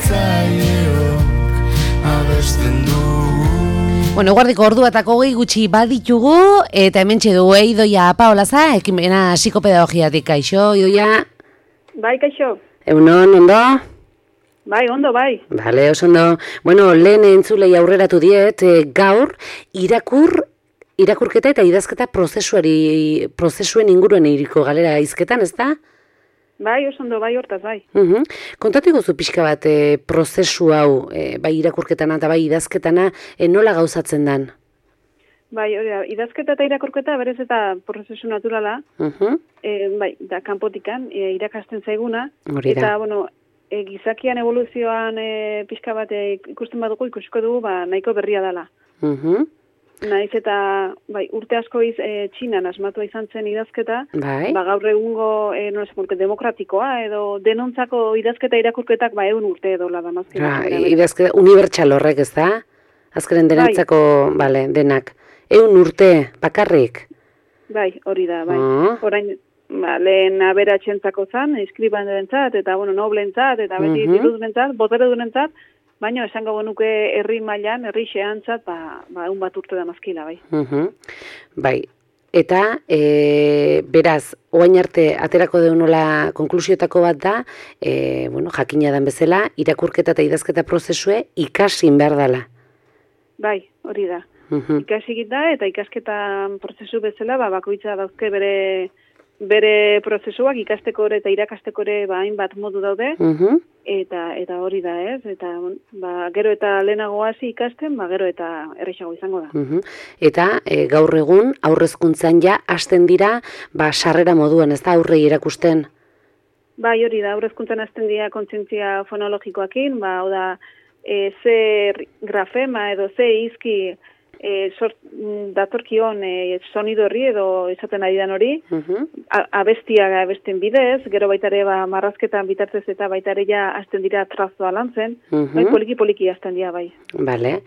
zaiok abesten du. Bueno, guardiko orduatako gehi gutxi baditugu, eta hementxe dugu Idoia Paolaza, ekimena psikopedagogiatik. Kaixo, Idoia? Bai, kaixo. Egunon, ondo? Bai, ondo, bai. Bale, oso ondo. Bueno, lehen entzulei aurreratu diet, gaur, irakurketa eta idazketa prozesuen inguruen iriko galera izketan, ez da? Bai, oso ondo, bai, hortaz, bai. Kontatu gozu pixka bat prozesu hau, bai irakurketana eta bai idazketana, nola gauzatzen dan? Bai, hori da, idazketa eta irakurketa berez eta prozesu naturala, bai, da kanpotikan, irakasten zaiguna, eta, bueno, gizakian evoluzioan pixka bat ikusten badugu, ikusiko dugu, nahiko berria dela. Naiz eta bai, urte asko Txinan asmatua izan zen idazketa, gaur egungo demokratikoa edo denontzako idazketa irakurketak 100 urte edo la damazken. Idazketa unibertsal horrek, ez da? Azkeren denontzako, denak. 100 urte bakarrik? Bai, hori da, bai. Orain, lehen aberatsentzako zan, eskribandentzat eta noblentzat eta beti dirudunentzat, boteredunentzat, baina esango genuke herri mailan, herri xeantzat, 100 bat urte damazkila, bai. Bai, eta beraz, oain arte aterako deunola konklusiotako bat da, jakina dan bezala, irakurketa eta idazketa prozesue ikasin behar dela. Bai, hori da. Ikasik da eta ikasketa prozesu bezala, bakoitza dauzke bere prozesuak ikasteko ere eta irakasteko ere hainbat modu daude, eta hori da, ez? Eta gero eta lehenago hasi ikasten, gero eta errexago izango da. Eta gaur egun aurrezkuntzan ja hasten dira sarrera moduan, ez da, aurrei erakusten? Bai, hori da, aurrezkuntzan hasten dira kontzientzia fonologikoakin, hau da, ze grafema edo ze izki datorkion sonido horri edo esaten ari dan hori, abesten bidez, gero baitare marrazketan bitartez eta baitare ja hasten dira trazoa lantzen, poliki hasten dira, bai. Bale,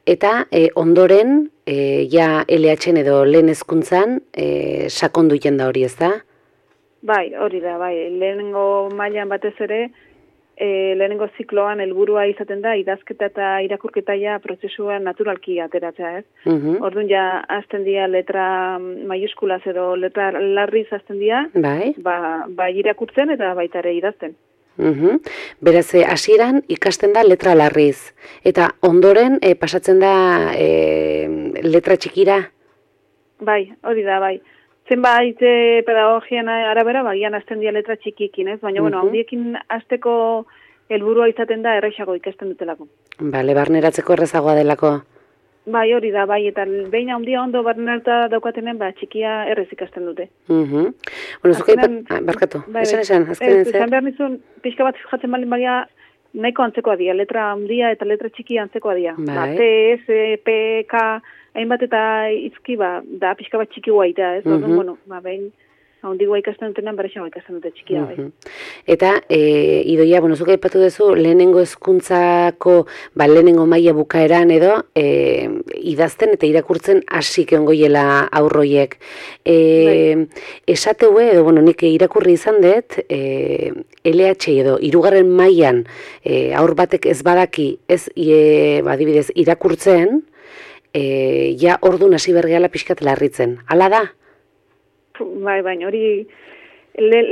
eta ondoren, ja LH edo lehen hezkuntzan sakondu jenda hori, ez da? Bai, hori da, bai, lehenengo mailan batez ere, lehenengo zikloan helburua izaten da idazketa eta irakurketa ja prozesuan naturalki ateratzea, ez? Orduan ja hasten dira letra maiuskulaz edo letra larriz hasten dira, bai irakurtzen eta baita ere idazten. Beraz, hasieran ikasten da letra larriz, eta ondoren pasatzen da letra txikira? Bai, hori da, bai. Zenbait pedagogian arabera, bagian hasten dira letra txikikin, ez? Baina, handiekin hasteko helburua izaten da errexago ikasten dutelako. Bale, barneratzeko errezagoa delako. Bai, hori da, bai, eta behin handia ondo barnerata daukatenen, txikia errez ikasten dute. Bueno, zuka barkatu, esan, azkenen zer? Esan behar nizun, pixka bat jatzen balin baina, nahiko antzekoa dira, letra handia eta letra txikia antzekoa dira. T, S, P, K... hainbat eta izki da pixka bat txiki guaita, ez? Orduan, behin handigua ikasten dutenan berexago ikasten dute txikia, bai. Eta, Idoia, zuka aipatu duzu, lehenengo hezkuntzako, lehenengo maila bukaeran edo, idazten eta irakurtzen hasik ongoiela aurroiek. Esateue, edo, nik irakurri izan dut, LH edo, 3. mailan aur batek ez badaki, ez, adibidez, irakurtzen, ja ordun hasi bergeala pixkat larritzen. Hala da? Bai, baina hori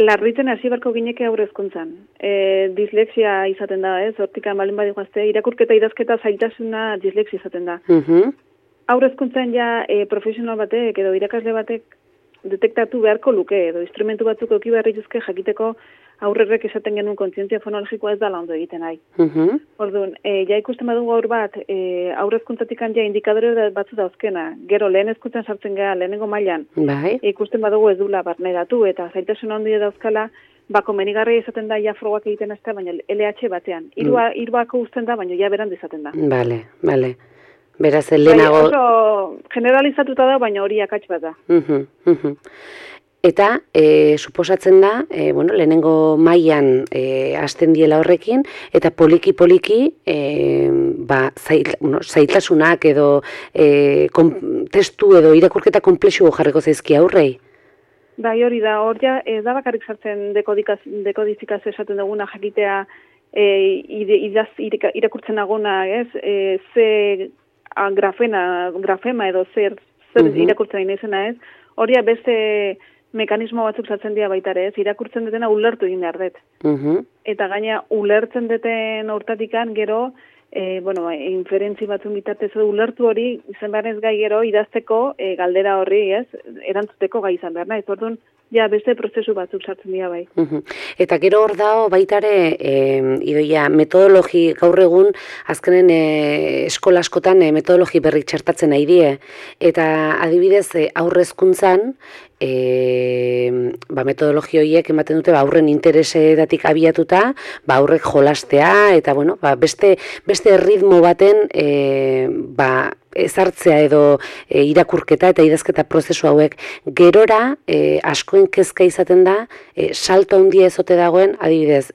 larritzen hasi barko gineke aurrezkuntzan. Dislexia izaten da, ez? Hortikan balin badi guazte, irakurketa idazketa zaitasuna dislexia izaten da. Aurrezkuntzan ja profesional batek edo irakasle batek detektatu beharko luke edo instrumentu batzuk eki beharri juzke jakiteko aurrerrek esaten genuen kontzientzia fonologikoa ez dala ondo egiten nahi. Orduan, ja ikusten badugu aur bat, aurrezkuntzatik ja indikadore batzu dauzkena. Gero lehen hezkuntzan sartzen gara, lehenengo mailan, ikusten badugu ez dula barneratu eta zaitasun handia dauzkala, komenigarria izaten da ja frogak egiten ez da, baina LH batean. Hiruako uzten da, baina ja berandu izaten da. Bale. Beraz, lehenago... Oso generalizatuta da, baina hori akats bat da. Eta, suposatzen da, lehenengo mailan hasten diela horrekin, eta poliki-poliki zailtasunak edo testu edo irakurketa konplexu jarriko zaizki aurrei. Bai, hori da, hor ja, ez da bakarrik sartzen dekodifikazio esaten duguna jakitea irakurtzen agona, ez? Ze grafema edo zer irakurtzen nahi izena, ez? Horia beste mekanismo batzuk sartzen dira baita ere, ez? Irakurtzen dutena ulertu egin behar dut. Eta gaina ulertzen duten hortatikan gero, inferentzi batzun bitartez ulertu hori izan behar ez gai gero idazteko galdera horri, ez? Erantzuteko gai izan behar nahi. Orduan, ja, beste prozesu batzuk sartzen dira bai. Eta gero hor dago baitare, Idoia, metodologi gaur egun, azkenen eskola askotan metodologi berrik txertatzen nahi die. Eta adibidez, aurrezkuntzan, metodologi horiek ematen dute aurren interesetatik abiatuta, aurrek jolastea, eta beste ritmo baten ezartzea edo irakurketa eta idazketa prozesu hauek gerora askoen kezka izaten da salto handia ezote dagoen, adibidez,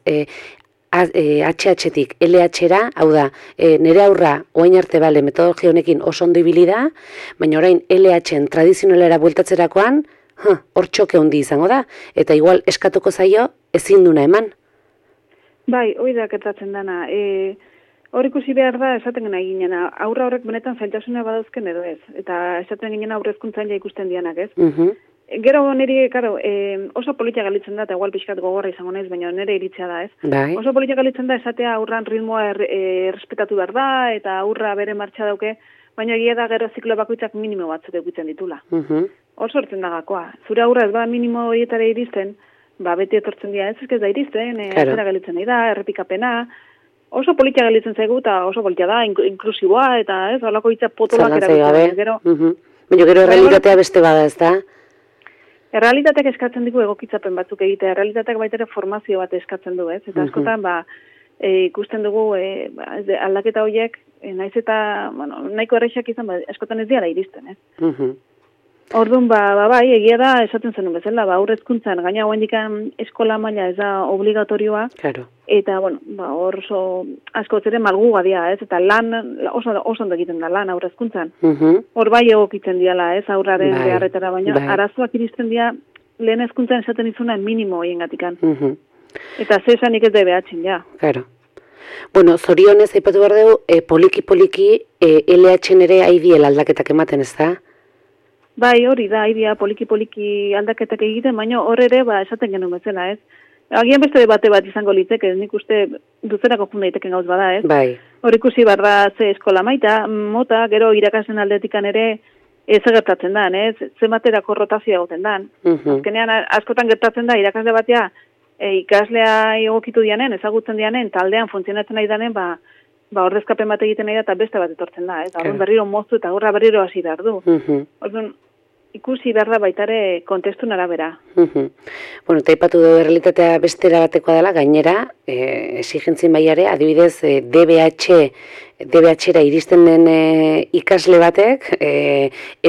HH-tik LH-ra, hau da, nire aurra oain arte bale metodologia honekin oso ondo ibili da, baina orain LH-en tradizionalera bueltatzerakoan, hor txoke handi izango da, eta igual eskatuko zaio ezin duna eman. Bai, hori da gertatzen dana. Hor ikusi behar da, esaten gena eginena, aurra horrek benetan zailtasuna badauzken edo ez, eta esaten ginen aurrezkuntzan ja ikusten dianak, ez? Gero niri, oso politia galitzen da, eta igual pixkat gogorra izango naiz, baina nire iritzea da, ez? Bai. Oso politia galitzen da, esatea aurran ritmoa errespetatu behar da, eta aurra bere martxa dauke, baina egia da gero ziklo bakoitzak minimo batzuk edukitzen ditula. Hor sortzen da gakoa. Zure aurra ez ba minimo horietara iristen, beti etortzen dira, ez da iristen, atzera galitzen nahi da, errepikapena, oso politia galitzen zaigu, eta oso politia da, inklusiboa, eta ez, holako hitza potolak erabiltzen. Baina gero errealitatea beste bada, ez da? Errealitateak eskatzen digu egokitzapen batzuk egitea, errealitateak baita ere formazio bat eskatzen du, ez? Eta askotan, ikusten dugu aldaketa horiek, naiz eta, nahiko errexak izan, askotan ez diara iristen, ez? Orduan, bai, egia da, esaten zenun bezala, aurrezkuntzan, gaina guendikan eskola maila ez da obligatorioa, eta, hor oso asko ere malguga dia, ez? Eta lan, oso ondo egiten da lan aurrezkuntzan. Hor bai egokitzen diala, ez? Aurraren beharretara, baina arazoak iristen dia, lehen hezkuntzan esaten izuna minimo horien gatikan. Eta zesanik ez da behatzen, ja. Claro. Zorionez, aipatu behar dugu, poliki-poliki LH-en ere aidiel aldaketak ematen, ez da? Bai, hori da, idea poliki-poliki aldaketak egiten, baina hor ere, esaten genuen bezala, ez? Agian beste debate bat izango litzeke, nik uste duzerako jun daiteken gauz bada, ez? Bai. Hor ikusi barra ze eskola mota, gero irakasen aldetikan ere ez gertatzen da, ez? Zenbaterako rotazioa goten da. Azkenean, askotan gertatzen da, irakasle batea ikaslea egokitu dianen, ezagutzen dianen, taldean funtzionatzen nahi danen, ordezkapen bat egiten nahi da, eta beste bat etortzen da, ez? Orduan berriro moztu eta horra berriro hasi behar du. Orduan, ikusi behar da baitare kontestun arabera. Eta aipatu du errealitatea bestera batekoa dela, gainera, exigentzien baiare, adibidez, DBH-era iristen den ikasle batek,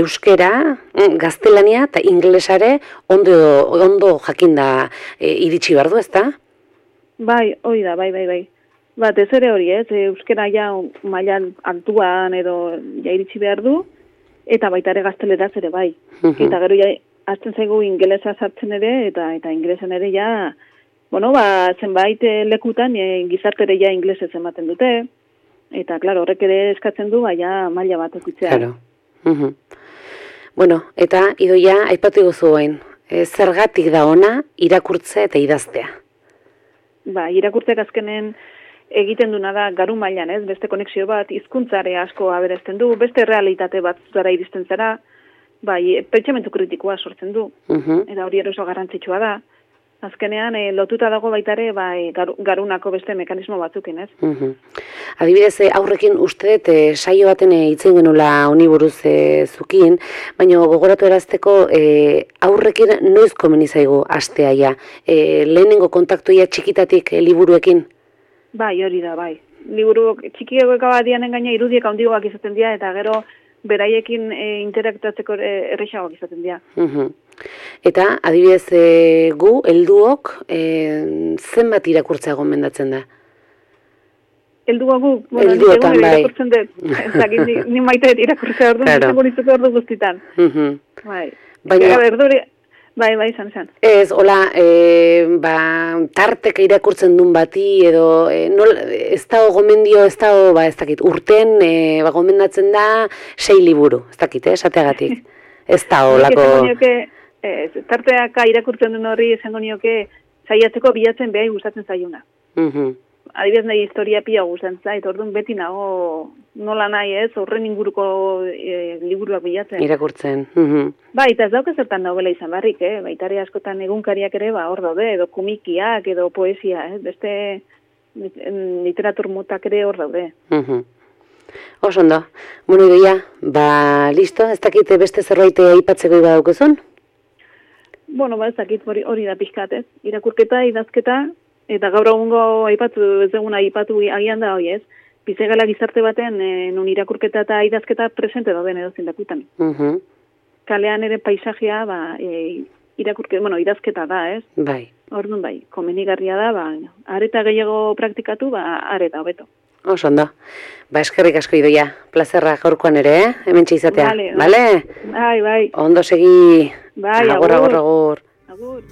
euskera, gaztelania eta inglesare ondo jakinda iritsi behar du, ezta? Bai, hori da, bai. Ez ere hori, ez? Euskera ja mailan altuan edo ja iritsi behar du, eta baita ere gazteleraz ere bai. Eta gero ja azten zaigu ingelesa sartzen ere, eta inglesan ere ja, zenbait lekutan gizartere ja inglesez ematen dute, eta, klaro, horrek ere eskatzen du, ja maila bat okutzea. Claro. Eta Idoia, aipatu guzu hain, zergatik da ona irakurtze eta idaztea? Irakurtzeak azkenen egiten duna da garu mailan, ez? Beste konexio bat, hizkuntzare asko aberesten du, beste realitate bat zara iristen zara, pentsamendu kritikoa sortzen du, eta hori oso garrantzitsua da. Azkenean, lotuta dago baitare, garunako beste mekanismo batzukin, ez? Adibidez, aurrekin uste dut saio baten hitzen genula honi buruz zukin, baina gogoratu erazteko aurrekin noiz komeni zaigu astea ja. Lehenengo kontaktuia txikitatik liburuekin? Bai, hori da, bai. Liburu txikiagoek abadianen gaina irudiek handiagoak izaten dira, eta gero beraiekin interaktatzeko errexagoak izaten dira. Eta, adibidez, gu, helduok, zenbat irakurtzea gomendatzen da? Heldua gu, helduotan, bai. Irakurtzen dut. Ni maite irakurtzea ordu, izango nizuko ordu guztitan. Baina, Bai, izan. Ez, hola, tarteka irakurtzen duen bati, edo, ez dago gomendio, ez dago, ez dakit, urten, gomendatzen da 6 liburu, ez dakit, esateagatik. Ez dago, lako... Tarteaka irakurtzen duen horri esango nioke, saiatzeko bilatzen behar gustatzen zaiuna. Adibidez nahi historia pila gustatzen zait, orduan beti nago nola nahi ez, horren inguruko liburuak bilatzen. Irakurtzen. Bai, eta ez dauka zertan daubela izan barrik, baitare askotan egunkariak ere, hor daude, edo komikiak, edo poesia, beste literatur motak ere hor daude. Oso ondo. Bueno, Idoia, listo, ez dakit beste zerbait aipatzeko iba daukezun? Bueno, ez dakit hori da pixkat, ez? Irakurketa, idazketa, eta gaur egungo aipatu agian da hoi, ez? Bizegala gizarte baten, non irakurketa eta idazketa presente dauden edo zindakutan. Kalean ere paisajea, idazketa da, ez? Bai. Orduan bai, komenigarria da, areta gehiago praktikatu, areta hobeto. Oso ondo. Eskerrik asko Idoia, plazerra gaurkoan ere, hemen izatea. Bale? Bai. Ondo segi. Bai, agur. Agur.